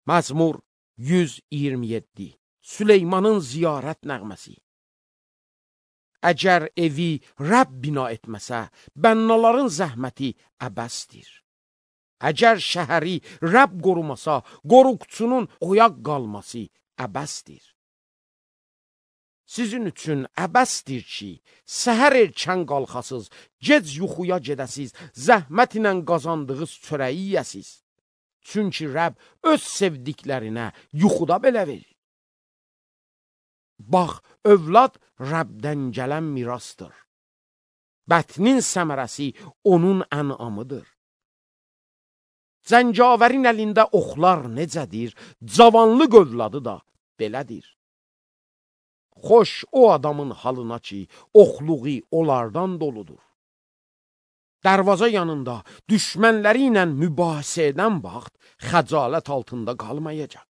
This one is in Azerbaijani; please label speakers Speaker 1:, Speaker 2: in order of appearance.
Speaker 1: Məzmur 127. Süleymanın ziyarət nəğməsi. Əgər evi Rəbb bina etməsə, bənnaların zəhməti əbəsdir. Əgər şəhəri Rəbb qorumasa, qoruqçunun oyaq qalması əbəsdir. Sizin üçün əbəsdir ki, səhər erkən qalxasız, gec yuxuya gedəsiz, zəhmət ilə qazandığınız çörəyi yəsiz. Çünki Rəbb öz sevdiklərinə yuxuda belə verir. Bax, övlad Rəbdən gələn mirasdır. Bətnin səmərəsi onun ənamıdır. Zəncavərin əlində oxlar necədir, cavanlıq övladı da belədir. Xoş o adamın halına ki, oxluğu onlardan doludur. Dərvaza yanında düşmənləri ilə mübahisə edən vaxt xəcalət altında qalmayacaq.